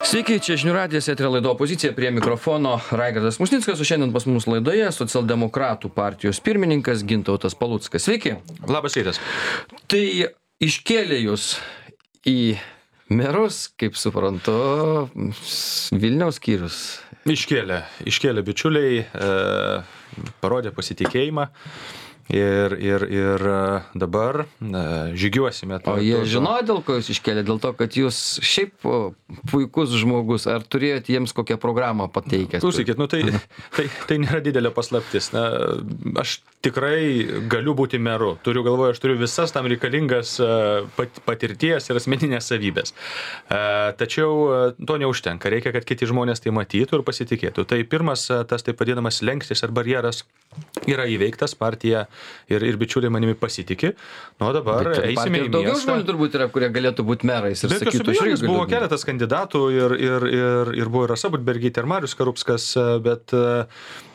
Sveiki, čia žinių radijas, eterio laida Opozicija, prie mikrofono Raigardas Musnickas, o šiandien pas mus laidoje socialdemokratų partijos pirmininkas Gintautas Paluckas. Sveiki. Labas rytas. Tai iškėlė jūs į merus, kaip suprantu, Vilniaus skyrius. Iškėlė bičiuliai, parodė pasitikėjimą. Ir dabar žygiuosime. O jie žinojo, dėl ko jūs iškėlė? Dėl to, kad jūs šiaip puikus žmogus, ar turėjote jiems kokią programą pateikęs? Klausykit, tai nėra didelė paslaptis. Aš tikrai galiu būti meru. Aš turiu visas tam reikalingas patirties ir asmeninės savybės. Tačiau to neužtenka. Reikia, kad kiti žmonės tai matytų ir pasitikėtų. Tai pirmas, tas taip vadinamas slenkstis ar barjeras yra įveiktas, partija ir bičiuliai manimi pasitikė. Nu, dabar eisime į miestą. Daugiau žmonių turbūt yra, kurie galėtų būti merais ir sakytų, buvo keletas kandidatų ir buvo ir Rasa Budbergytė ir Marius Karupskas, bet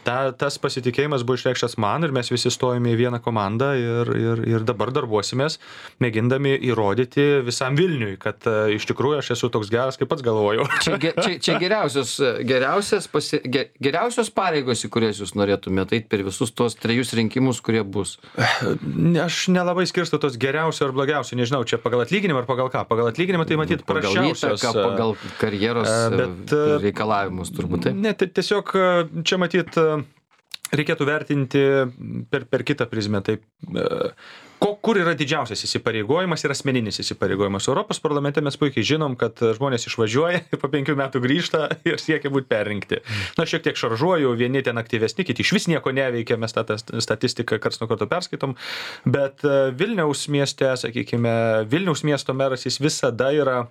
tas pasitikėjimas buvo išreikštas man ir mes visi stojame į vieną komandą ir dabar darbuosimės, mėgindami įrodyti visam Vilniui, kad iš tikrųjų aš esu toks geras, kaip pats galvojau. Čia geriausios pareigos, į kurias jūs norėtumėte eiti per visus tos 3 rinkimus, kurie bus. Aš nelabai skirstu tos geriausio ar blogiausio, nežinau, čia pagal atlyginimą ar pagal ką. Pagal atlyginimą tai matyt prasčiausios. Pagal karjeros reikalavimus turbūt. Ne, tiesiog čia matyt reikėtų vertinti per kitą prizmę. Taip, kur yra didžiausias įsipareigojimas ir asmeninis įsipareigojimas. Europos parlamente mes puikiai žinom, kad žmonės išvažiuoja ir po 5 metų grįžta ir siekia būti perrinkti. Šiek tiek šaržuoju, vieni ten aktyvesni, kiti išvis nieko neveikia, mes tą statistiką karts nuo karto perskaitom, bet Vilniaus mieste, sakykime, Vilniaus miesto meras jis visada yra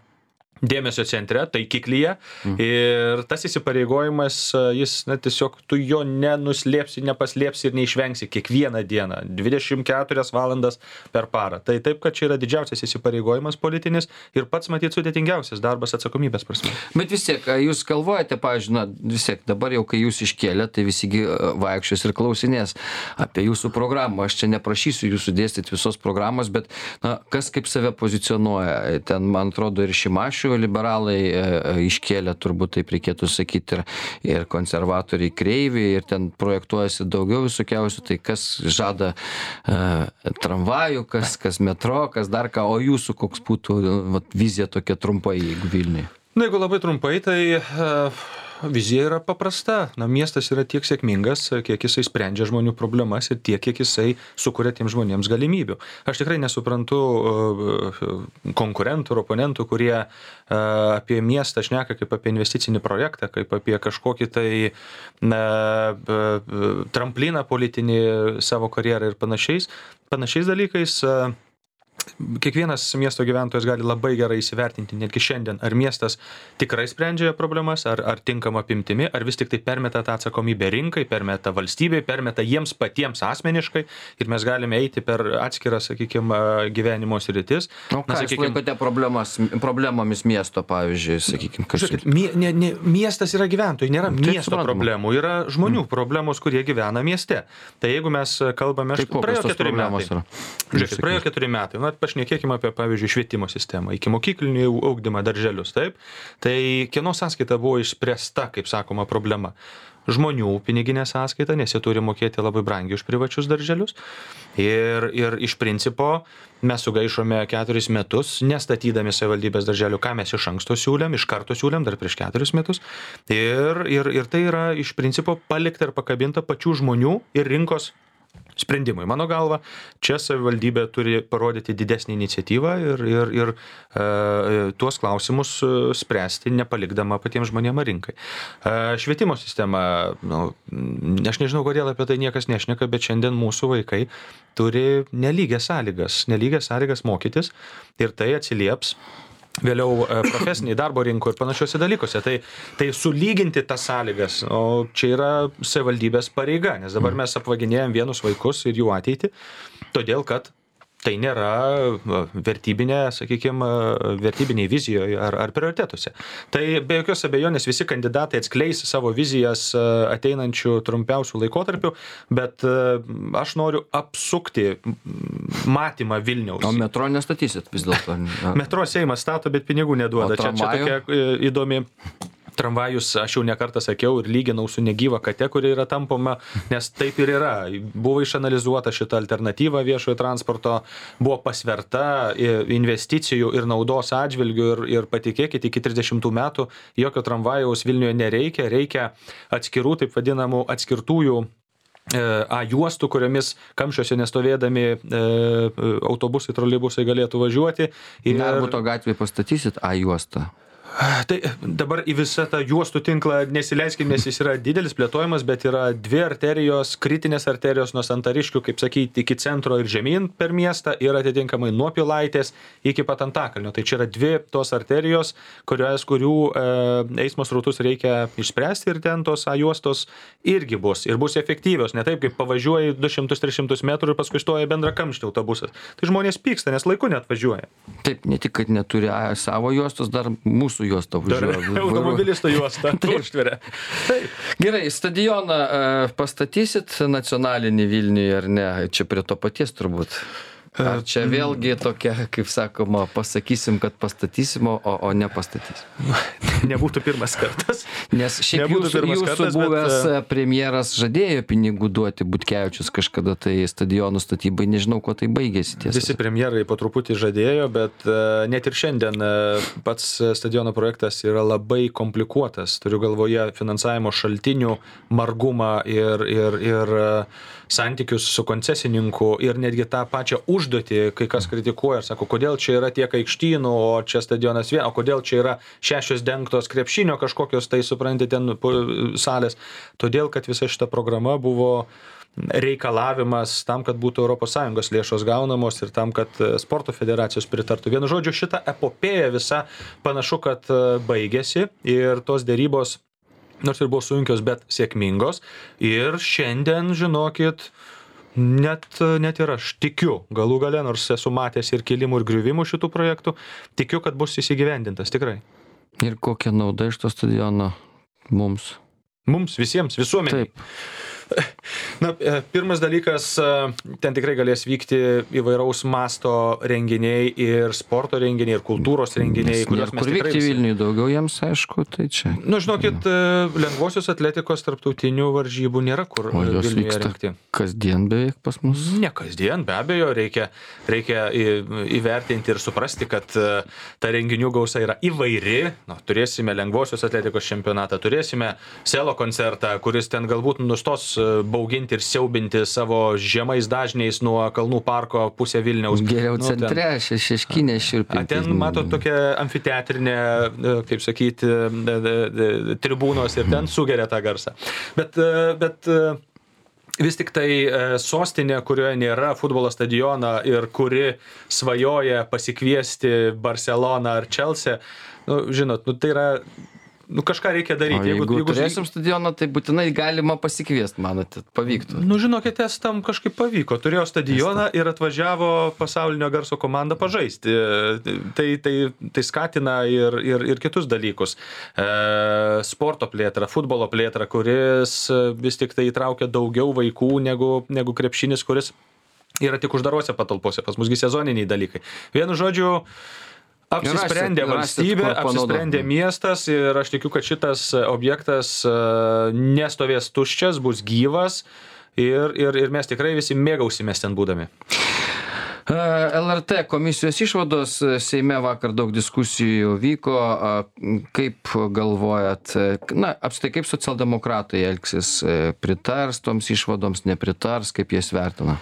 dėmesio centre, taikiklyje ir tas įsipareigojimas, jis tiesiog tu jo nenuslėpsi, nepaslėpsi ir neišvengsi kiekvieną dieną, 24 valandas per parą. Tai taip, kad čia yra didžiausias įsipareigojimas politinis ir pats matyt sudėtingiausias darbas atsakomybės prasme. Bet vis tiek, jūs galvojate, pavyzdžiui, vis tiek dabar jau, kai jūs iškėlė, tai visi vaikščios ir klausinės apie jūsų programą. Aš čia neprašysiu jūsų dėstyti visos programos, bet kas kaip save pozicionuoja. Ten, man atrodo, ir Šimašių liberalai iškėlė, turbūt taip reikėtų sakyti, ir konservatoriai Kreivį, ir ten projektuojasi daugiau visokiausių, tai kas žada tramvajų, kas metro, kas dar ką, o jūsų koks būtų vizija tokia trumpai, jeigu Vilniuje? Jeigu labai trumpai, tai vizija yra paprasta. Miestas yra tiek sėkmingas, kiek jisai sprendžia žmonių problemas ir tiek, kiek jisai sukuria tiems žmonėms galimybių. Aš tikrai nesuprantu konkurentų ir oponentų, kurie apie miestą šneka kaip apie investicinį projektą, kaip apie kažkokį tai trampliną politinį savo karjerą ir panašiais dalykais. Kiekvienas miesto gyventojas gali labai gerai įsivertinti, netgi šiandien, ar miestas tikrai sprendžia problemas, ar tinkama apimtimi, ar vis tik tai permeta tą atsakomybę rinkai, permeta valstybei, permeta jiems patiems asmeniškai ir mes galime eiti per atskiras, sakykime, gyvenimo sritis. O ką jūs laikote problemomis miesto, pavyzdžiui, sakykime, miestas yra gyventojai, nėra miesto problemų, yra žmonių problemos, kurie gyvena mieste. Tai jeigu mes kalbame, praėjo 4 metai. Pašnekėkime apie, pavyzdžiui, švietimo sistemą, iki mokyklinį ugdymą, darželius, taip? Tai kieno sąskaita buvo išspręsta, kaip sakoma, problema? Žmonių piniginė sąskaita, nes jie turi mokėti labai brangiai už privačius darželius. Ir iš principo mes sugaišome 4 metus, nestatydami savivaldybės darželių, ką mes iš karto siūlėm, dar prieš 4 metus. Ir tai yra iš principo palikta ir pakabinta pačių žmonių ir rinkos sprendimai. Mano galva, čia savivaldybė turi parodyti didesnį iniciatyvą ir tuos klausimus spręsti, nepalikdama patiems žmonėms rinkai. Švietimo sistema, aš nežinau, kodėl apie tai niekas nešneka, bet šiandien mūsų vaikai turi nelygias sąlygas mokytis ir tai atsilieps vėliau profesiniai darbo rinkoje ir panašiuose dalykuose. Tai sulyginti tas sąlygas, o čia yra savivaldybės pareiga, nes dabar mes apvaginėjom vienus vaikus ir jų ateitį, todėl kad tai nėra vertybinė, sakykime, vertybiniai vizijoje ar prioritetuose. Tai be jokios abejonės visi kandidatai atskleis savo vizijas ateinančių trumpiausių laikotarpių, bet aš noriu apsukti matymą Vilniaus. O metro nestatysit vis dėlto? Metro Seimas stato, bet pinigų neduoda. Čia tokia įdomi. Tramvajus, aš jau nekartą sakiau ir lyginau su negyva kate, kuri yra tampoma, nes taip ir yra. Buvo išanalizuota šita alternatyva viešojo transporto, buvo pasverta investicijų ir naudos atžvilgių ir patikėkit, iki 30 metų jokio tramvajaus Vilniuje nereikia, reikia atskirų, taip vadinamų atskirtųjų A juostų, kuriomis kamščiuose nestovėdami autobusai, troleibusai galėtų važiuoti. Narbuto gatvėje pastatysit A juostą? Tai dabar į visą tą juostų tinklą nesileiskim, nes jis yra didelis plėtojimas, bet yra dvi arterijos, kritinės arterijos nuo Santariškių, kaip sakyti, iki centro ir žemyn per miestą ir atitinkamai nuo Pilaitės iki pat Antakalnio. Tai čia yra dvi tos arterijos, kurių eismo srautus reikia išspręsti ir ten tos A juostos irgi bus. Ir bus efektyvios, ne taip, kaip pavažiuoji 200-300 metrų ir paskui stoja bendra kamštį autobusas. Tai žmonės pyksta, nes laiku neatvažiuoja. Taip, ne tik, kad neturi savo juostos, dar mūsų juostą važiuoja. Automobilisto juostą užtveria. Gerai, stadioną pastatysit nacionalinį Vilniuje ar ne? Čia prie to paties turbūt. Ar čia vėlgi tokia, kaip sakoma, pasakysim, kad pastatysim, o nepastatysim? Nebūtų pirmas kartas. Nes šiaip jūsų buvęs premjeras žadėjo pinigų duoti Butkevičius kažkada tai stadionų statybai, nežinau, kuo tai baigėsi tiesa. Visi premjerai po truputį žadėjo, bet net ir šiandien pats stadiono projektas yra labai komplikuotas. Turiu galvoje finansavimo šaltinių margumą ir santykius su koncesininku ir netgi tą pačią užduotį, kai kas kritikuoja ir sako, kodėl čia yra tiek aikštynų, o čia stadionas o kodėl čia yra 6 dengtos krepšinio kažkokios, tai suprantate, ten salės. Todėl, kad visa šita programa buvo reikalavimas tam, kad būtų ES lėšos gaunamos ir tam, kad sporto federacijos pritartų. Vienu žodžiu, šita epopėja visa panašu, kad baigėsi ir tos dėrybos nors ir buvo sunkios, bet sėkmingos. Ir šiandien, žinokit, net ir aš tikiu, galų gale, nors esu matęs ir kilimų, ir griuvimų šitų projektų, tikiu, kad bus įsigyvendintas, tikrai. Ir kokia nauda iš to stadiono mums? Mums, visiems, visuomeniai. Taip. Na, pirmas dalykas, ten tikrai galės vykti įvairaus masto renginiai ir sporto renginiai, ir kultūros renginiai. Kur vykti Vilniui daugiau jiems, aišku, tai čia. Nu, žinokit, lengvosios atletikos tarptautinių varžybų nėra kur Vilniuje rengti. Kasdien beveik pas mus? Ne kasdien, be abejo, reikia įvertinti ir suprasti, kad ta renginių gausa yra įvairi. Nu, turėsime lengvosios atletikos čempionatą, turėsime selo koncertą, kuris ten galbūt nustos bauginti ir siaubinti savo žemais dažniais nuo Kalnų parko pusę Vilniaus. Geriau centre, šeškinė širpinti. Ten matot tokia amfiteatrinė, kaip sakyti, tribūnos ir ten sugeria tą garsą. Bet vis tik tai sostinė, kurioje nėra futbolo stadioną ir kuri svajoja pasikviesti Barceloną ar Chelsea, nu, žinot, nu, tai yra kažką reikia daryti. Jeigu turėsim stadioną, tai būtinai galima pasikviesti, manote, pavyktų. Nu, žinokit, estam kažkaip pavyko. Turėjo stadioną ir atvažiavo pasaulinio garso komanda pažaisti. Tai skatina ir kitus dalykus. Sporto plėtra, futbolo plėtra, kuris vis tik tai įtraukia daugiau vaikų negu krepšinis, kuris yra tik uždarose patalpose. Pas musgi sezoniniai dalykai. Vienu žodžiu, apsisprendė valstybė, apsisprendė miestas ir aš tikiu, kad šitas objektas nestovės tuščias, bus gyvas ir mes tikrai visi mėgausimės ten būdami. LRT komisijos išvados, Seime vakar daug diskusijų vyko, kaip galvojat, na, apskritai kaip socialdemokratai elgsis, pritars toms išvadoms, nepritars, kaip jas vertina?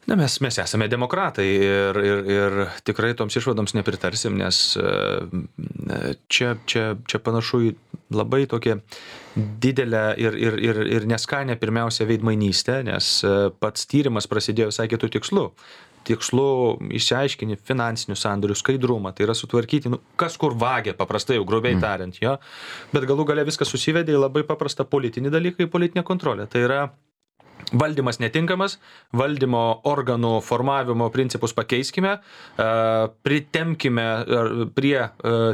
Na, mes esame demokratai ir tikrai toms išvadoms nepritarsim, nes čia panašu į labai tokią didelę ir neskanę pirmiausia veidmainystę, nes pats tyrimas prasidėjo visai kitų tikslų. Tikslu išsiaiškini finansinių sandorių skaidrumą, tai yra sutvarkyti, kas kur vagia, paprastai jau grubiai tariant, jo. Bet galų gale viskas susivedė į labai paprastą politinį dalyką, į politinę kontrolę. Tai yra valdymas netinkamas, valdymo organų formavimo principus pakeiskime, pritempkime prie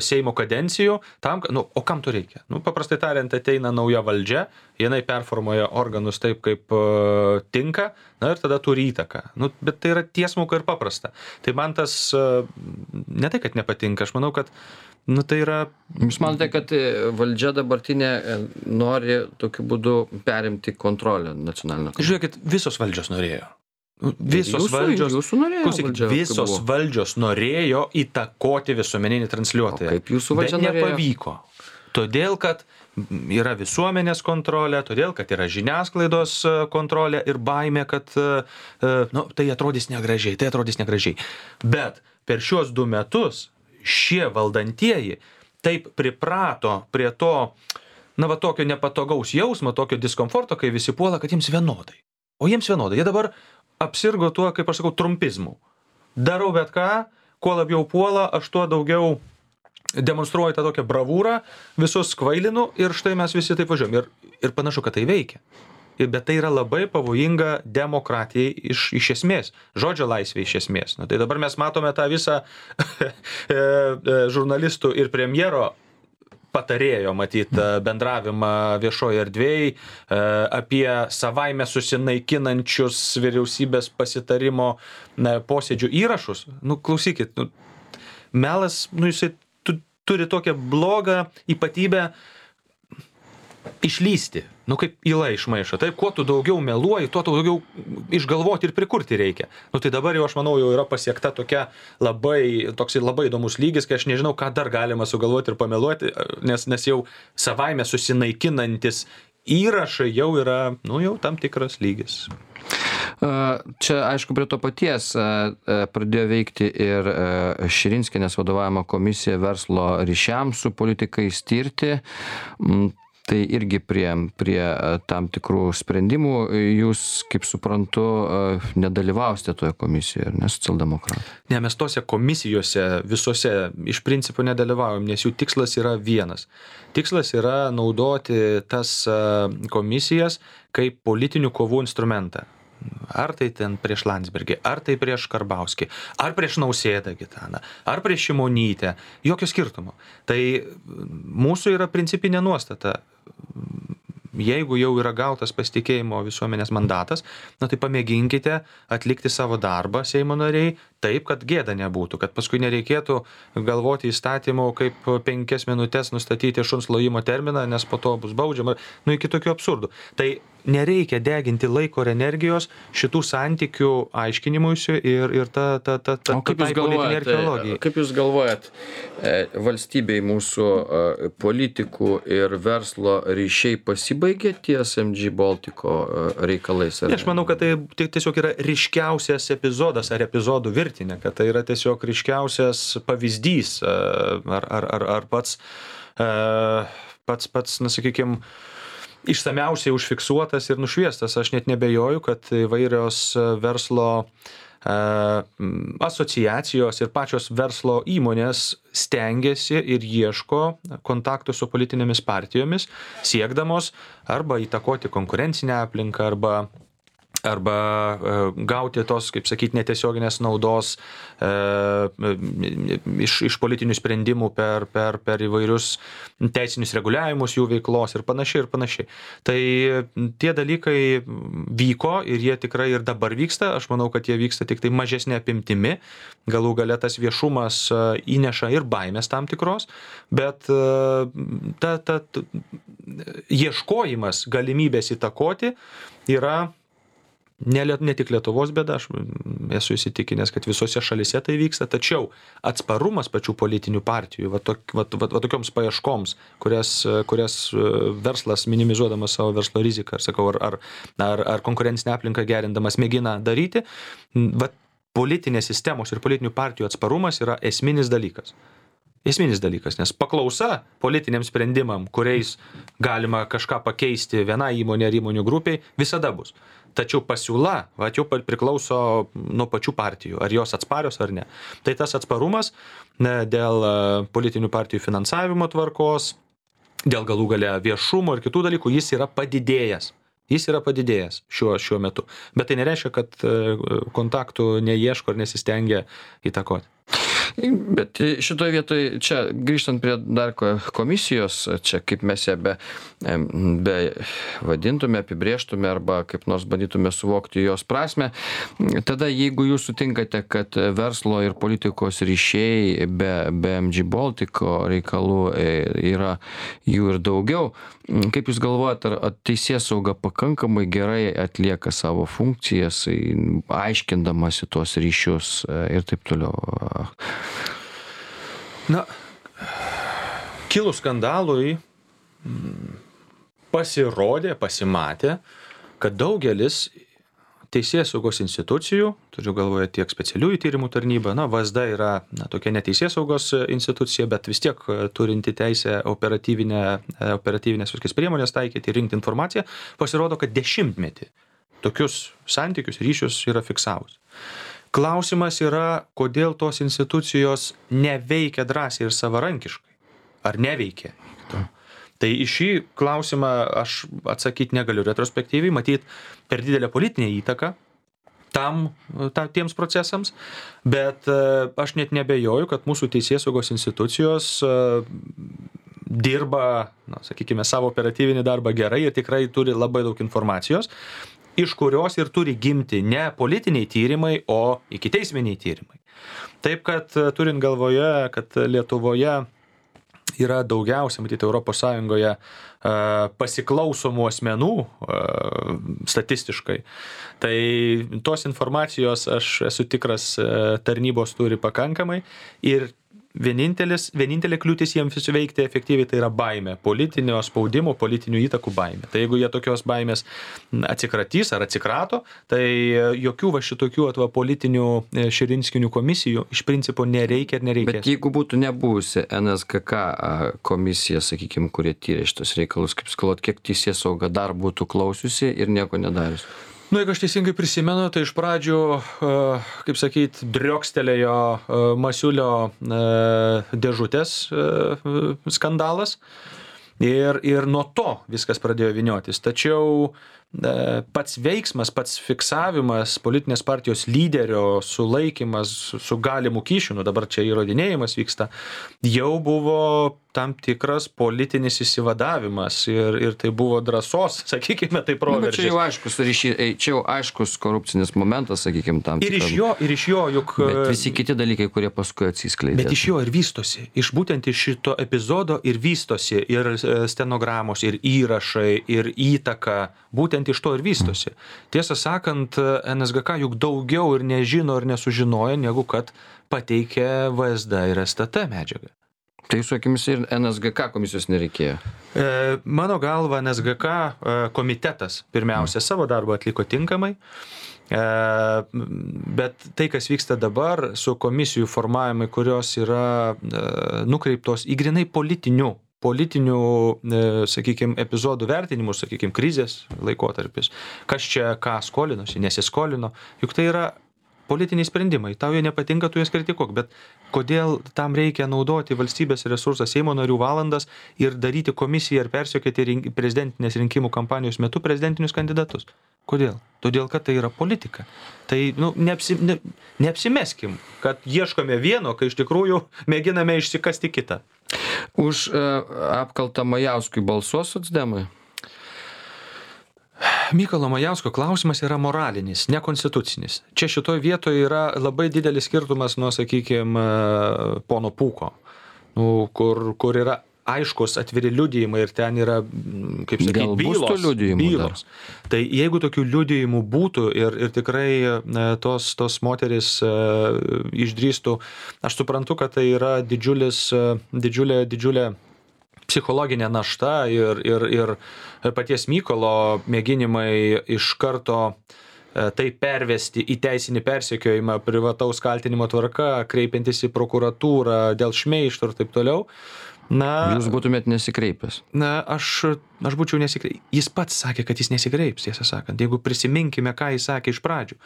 Seimo kadencijų, tam, o kam to reikia? Paprastai tariant, ateina nauja valdžia, jinai performuoja organus taip, kaip tinka, ir tada turi įtaką. Bet tai yra tiesmuka ir paprasta. Tai man tas ne tai, kad nepatinka, aš manau, kad tai yra... Jūs manote, kad valdžia dabartinė nori tokiu būdu perimti kontrolę nacionalinę? Žiūrėkit, visos valdžios norėjo. Visos valdžios norėjo įtakoti visuomeninį transliuotoją. Kaip jūsų valdžia norėjo? Bet nepavyko. Todėl, kad yra visuomenės kontrolė, todėl, kad yra žiniasklaidos kontrolė ir baimė, kad tai atrodys negražiai. Bet per šiuos 2 metus šie valdantieji taip priprato prie to, tokio nepatogaus jausmo, tokio diskomforto, kai visi puola, kad jiems vienodai. O jiems vienodai. Jie dabar apsirgo tuo, kaip aš sakau, trumpizmu. Darau bet ką, kuo labiau puola, aš tuo daugiau demonstruoju tą tokią bravūrą, visus kvailinu ir štai mes visi taip važiuojam. Ir panašu, kad tai veikia. Bet tai yra labai pavojinga demokratijai iš esmės, žodžio laisvė iš esmės. Tai dabar mes matome tą visą žurnalistų ir premjero patarėjo, matyt, bendravimą viešoje erdvėje apie savaime susinaikinančius vyriausybės pasitarimo posėdžių įrašus. Klausykit, melas, jisai turi tokią blogą ypatybę išlysti. Kaip yla iš maišo. Taip, kuo tu daugiau meluoji, tuo daugiau išgalvoti ir prikurti reikia. Tai dabar jau, aš manau, jau yra pasiekta toks labai įdomus lygis, kai aš nežinau, ką dar galima sugalvoti ir pameluoti, nes jau savaime susinaikinantis įrašai jau yra, jau tam tikras lygis. Čia, aišku, prie to paties pradėjo veikti ir Širinskienės vadovaujama komisija verslo ryšiams su politikais tirti. Tai irgi prie tam tikrų sprendimų jūs, kaip suprantu, nedalyvausite toje komisijoje, ne, socialdemokratai? Ne, mes tose komisijose visose iš principo nedalyvaujam, nes jų tikslas yra vienas. Tikslas yra naudoti tas komisijas kaip politinių kovų instrumentą. Ar tai ten prieš Landsbergį, ar tai prieš Karbauskį, ar prieš Nausėdą Gitaną, ar prieš Šimonytę, jokio skirtumo. Tai mūsų yra principinė nuostata. Jeigu jau yra gautas pasitikėjimo visuomenės mandatas, tai pamėginkite atlikti savo darbą, Seimo nariai, taip, kad gėda nebūtų, kad paskui nereikėtų galvoti įstatymų, kaip 5 minutės nustatyti šuns lojimo terminą, nes po to bus baudžiama, iki tokių absurdų. Tai nereikia deginti laiko ir energijos šitų santykių aiškinimuisi ir ta politinė archeologija. Kaip jūs galvojat, valstybei mūsų politikų ir verslo ryšiai pasibaigė ties MG Baltico reikalais? Aš manau, kad tai tiesiog yra ryškiausias epizodas ar epizodų virtinė, kad tai yra tiesiog ryškiausias pavyzdys ar pats, sakykime, išsamiausiai užfiksuotas ir nušviestas. Aš net nebejoju, kad įvairios verslo asociacijos ir pačios verslo įmonės stengiasi ir ieško kontaktų su politinėmis partijomis, siekdamos arba įtakoti konkurencinę aplinką, arba gauti tos, kaip sakyti, netiesioginės naudos iš politinių sprendimų per įvairius teisinius reguliavimus jų veiklos ir panašiai. Tai tie dalykai vyko ir jie tikrai ir dabar vyksta. Aš manau, kad jie vyksta tik tai mažesnė apimtimi. Galų gale tas viešumas įneša ir baimės tam tikros, bet ieškojimas galimybės įtakoti yra ne tik Lietuvos bėda, aš esu įsitikinęs, kad visose šalise tai vyksta, tačiau atsparumas pačių politinių partijų, tokioms paieškoms, kurias verslas minimizuodamas savo verslo riziką, ar konkurencinę aplinką gerindamas mėgina daryti, politinės sistemos ir politinių partijų atsparumas yra esminis dalykas. Nes paklausa politiniams sprendimam, kuriais galima kažką pakeisti vienai įmonė ar įmonių grupiai, visada bus. Tačiau pasiūla jau priklauso nuo pačių partijų, ar jos atsparios ar ne. Tai tas atsparumas dėl politinių partijų finansavimo tvarkos, dėl galų gale viešumo ir kitų dalykų, jis yra padidėjęs. Jis yra padidėjęs šiuo metu. Bet tai nereiškia, kad kontaktų neieško ar nesistengia įtakoti. Bet šitoje vietoje, čia grįžtant prie dar komisijos, čia kaip mes ją be vadintume, apibrėžtume arba kaip nors bandytume suvokti jos prasme, tada jeigu jūs sutinkate, kad verslo ir politikos ryšiai be MG Baltico reikalų yra jų ir daugiau, kaip jūs galvojate, ar teisėsauga pakankamai gerai atlieka savo funkcijas, aiškindamasi tuos ryšius ir taip toliau? Na, kilus skandalui pasimatė, kad daugelis teisėsaugos institucijų, turiu galvoje tiek specialiųjų tyrimų tarnybą, VSD yra tokia neteisėsaugos institucija, bet vis tiek turinti teisę operatyvinės viskas priemonės taikyti, rinkti informaciją, pasirodo, kad 10 metį tokius santykius, ryšius yra fiksavus. Klausimas yra, kodėl tos institucijos neveikia drąsiai ir savarankiškai. Ar neveikia? Tai į šį klausimą aš atsakyti negaliu retrospektyviai, matyt per didelę politinę įtaką tiems procesams, bet aš net nebejoju, kad mūsų teisėsaugos institucijos dirba, sakykime, savo operatyvinį darbą gerai ir tikrai turi labai daug informacijos, iš kurios ir turi gimti ne politiniai tyrimai, o ikiteisminiai tyrimai. Taip, kad turint galvoje, kad Lietuvoje yra daugiausia, matyti, Europos Sąjungoje pasiklausomų asmenų statistiškai, tai tos informacijos, aš esu tikras, tarnybos turi pakankamai ir vienintelė kliūtis jiems veikti efektyviai tai yra baimė, politinio spaudimo, politinių įtakų baimė. Tai jeigu jie tokios baimės atsikratys ar atsikrato, tai jokių šitokių politinių širinskinių komisijų iš principo nereikia ir nereikia. Bet jeigu būtų nebuvusi NSGK komisija, sakykime, kurie tyrė šitos reikalus, kaip skalot, kiek teisėsauga dar būtų klausiusi ir nieko nedarius? Jeigu aš teisingai prisimenu, tai iš pradžių, kaip sakyt, driokstelėjo Masiulio dėžutės skandalas ir nuo to viskas pradėjo vyniotis. Tačiau pats veiksmas, pats fiksavimas, politinės partijos lyderio sulaikymas su galimu kyšiu, dabar čia įrodinėjimas vyksta, jau buvo tam tikras politinis įsivadavimas ir tai buvo drąsos, sakykime, tai proveržis. Čia jau aiškus ryšys, čia jau aiškus korupcinis momentas, sakykime, tam tikras. Ir iš jo juk... Bet visi kiti dalykai, kurie paskui atsiskleidė. Bet iš jo ir vystosi. Būtent iš šito epizodo ir vystosi ir stenogramos, ir įrašai, ir įtaka. Būtent iš to ir vystosi. Tiesą sakant, NSGK juk daugiau ir nežino ir nesužinoja, negu kad pateikė VSD ir STT medžiagą. Tai jūsų akimis ir NSGK komisijos nereikėjo? Mano galva, NSGK komitetas pirmiausia savo darbą atliko tinkamai, bet tai, kas vyksta dabar su komisijų formavimai, kurios yra nukreiptos į grinai politinių, sakykime, epizodų vertinimus, sakykime, krizės laikotarpis, kas čia ką skolinosi, nesiskolino, juk tai yra politiniai sprendimai. Tau jie nepatinka, tu jas kritikuok, bet kodėl tam reikia naudoti valstybės resursą, Seimo narių valandas ir daryti komisiją ir persekioti prezidentinės rinkimų kampanijos metu prezidentinius kandidatus? Kodėl? Todėl, kad tai yra politika. Tai neapsimeskim, kad ieškome vieno, kai iš tikrųjų mėginame išsikasti kitą. Už apkaltą Majauskui balsuos socdemai? Mykolo Majausko klausimas yra moralinis, nekonstitucinis. Čia šitoje vietoje yra labai didelis skirtumas nuo, sakykime, pono Pūko, kur yra aiškus atviri liudijimai ir ten yra, kaip sakyti, bylos. Tai jeigu tokių liudijimų būtų ir tikrai tos moteris išdrįstų, aš suprantu, kad tai yra didžiulė psichologinė našta ir paties Mykolo mėginimai iš karto tai pervesti į teisinį persekiojimą privataus kaltinimo tvarka, kreipiantis į prokuratūrą dėl šmeižto ir taip toliau. Jūs būtumėt nesikreipęs. Aš būčiau nesikreipęs. Jis pats sakė, kad jis nesikreips, tiesą sakant. Jeigu prisiminkime, ką jis sakė iš pradžių.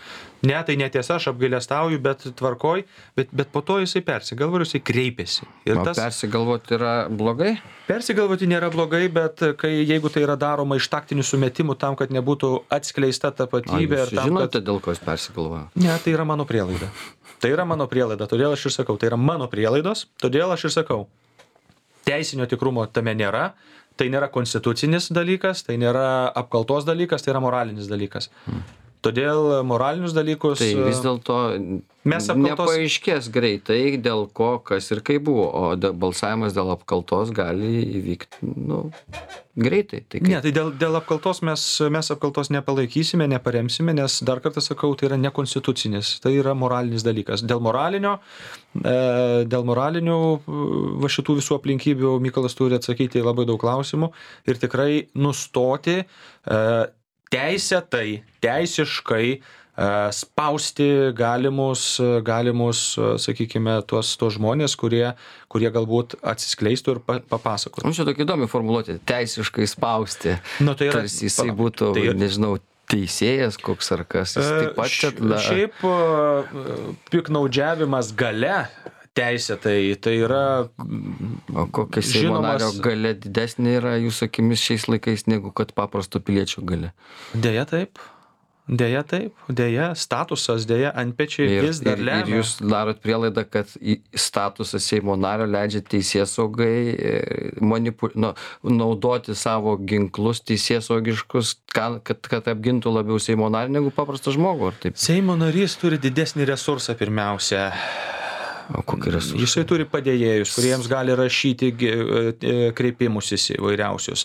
Ne, tai netiesa, aš apgailestauju, bet tvarkoj, bet po to jisai persigalvojo, jisai kreipėsi. Ir persigalvoti yra blogai? Persigalvoti nėra blogai, bet jeigu tai yra daroma iš taktinių sumetimų tam, kad nebūtų atskleista tapatybė. Jūs žinote, dėl ko jis persigalvojo? Ne, tai yra mano prielaida. Todėl aš ir sakau, tai yra mano prielaidos, todėl aš ir sakau. Teisinio tikrumo tame nėra, tai nėra konstitucinis dalykas, tai nėra apkaltos dalykas, tai yra moralinis dalykas. Todėl moralinius dalykus... Tai vis dėlto nepaaiškės greitai, dėl ko, kas ir kaip buvo, o balsavimas dėl apkaltos gali įvykti, greitai. Ne, tai dėl apkaltos mes apkaltos nepalaikysime, neparemsime, nes dar kartą sakau, tai yra nekonstitucinis, tai yra moralinis dalykas. Dėl moralinių va šitų visų aplinkybių Mykolas turi atsakyti labai daug klausimų ir tikrai nustoti teisiškai spausti galimus, sakykime, tuos žmonės, kurie galbūt atsiskleistų ir papasakotų. Čia tokia įdomi formuluotė, teisiškai spausti. Tai yra, tarsi jisai būtų, nežinau, teisėjas koks ar kas. Taip pat šiaip piknaudžiavimas gale teisėtai, tai yra O kokia Seimo nario galia didesnė yra jūsų akimis šiais laikais negu kad paprasto piliečio galia? Deja taip, statusas, antpečiai vis dar lemia. Ir jūs darot prielaidą, kad statusas Seimo nario leidžia teisėsaugai naudoti savo ginklus teisėsaugiškus, kad apgintų labiau Seimo narį negu paprastą žmogų, ar taip? Seimo narys turi didesnį resursą pirmiausia. O kokį resursą? Jisai turi padėjėjus, kuriems gali rašyti kreipimusis įvairiausius.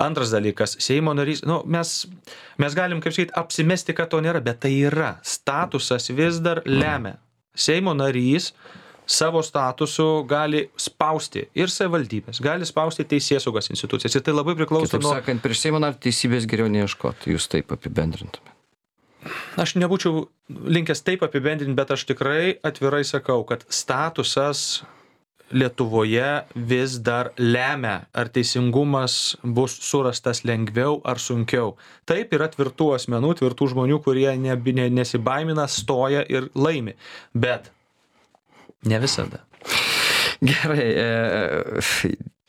Antras dalykas, Seimo narys, mes galim, kaip sakyti, apsimesti, kad to nėra, bet tai yra. Statusas vis dar lemia. Seimo narys savo statusu gali spausti ir savivaldybės, gali spausti teisėsaugos institucijas. Ir tai labai priklauso nuo... Kitaip sakant, prieš Seimo narį teisybės geriau neieškoti, jūs taip apibendrintumėte. Aš nebūčiau linkęs taip apibendrinti, bet aš tikrai atvirai sakau, kad statusas Lietuvoje vis dar lemia, ar teisingumas bus surastas lengviau ar sunkiau. Taip yra tvirtų asmenų, tvirtų žmonių, kurie nesibaimina, stoja ir laimi. Bet ne visada. Gerai.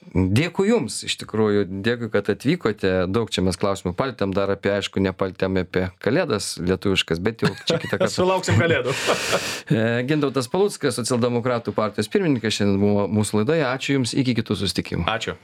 Dėkui Jums, iš tikrųjų, dėkui, kad atvykote. Daug čia mes klausimų paltėm, dar aišku, nepaltėm apie kalėdas lietuviškas, bet jau čia kitą kartą. Sulauksim kalėdų. Gintautas Paluckas, socialdemokratų partijos pirmininkas, šiandien buvo mūsų laidoje. Ačiū Jums, iki kitų susitikimų. Ačiū.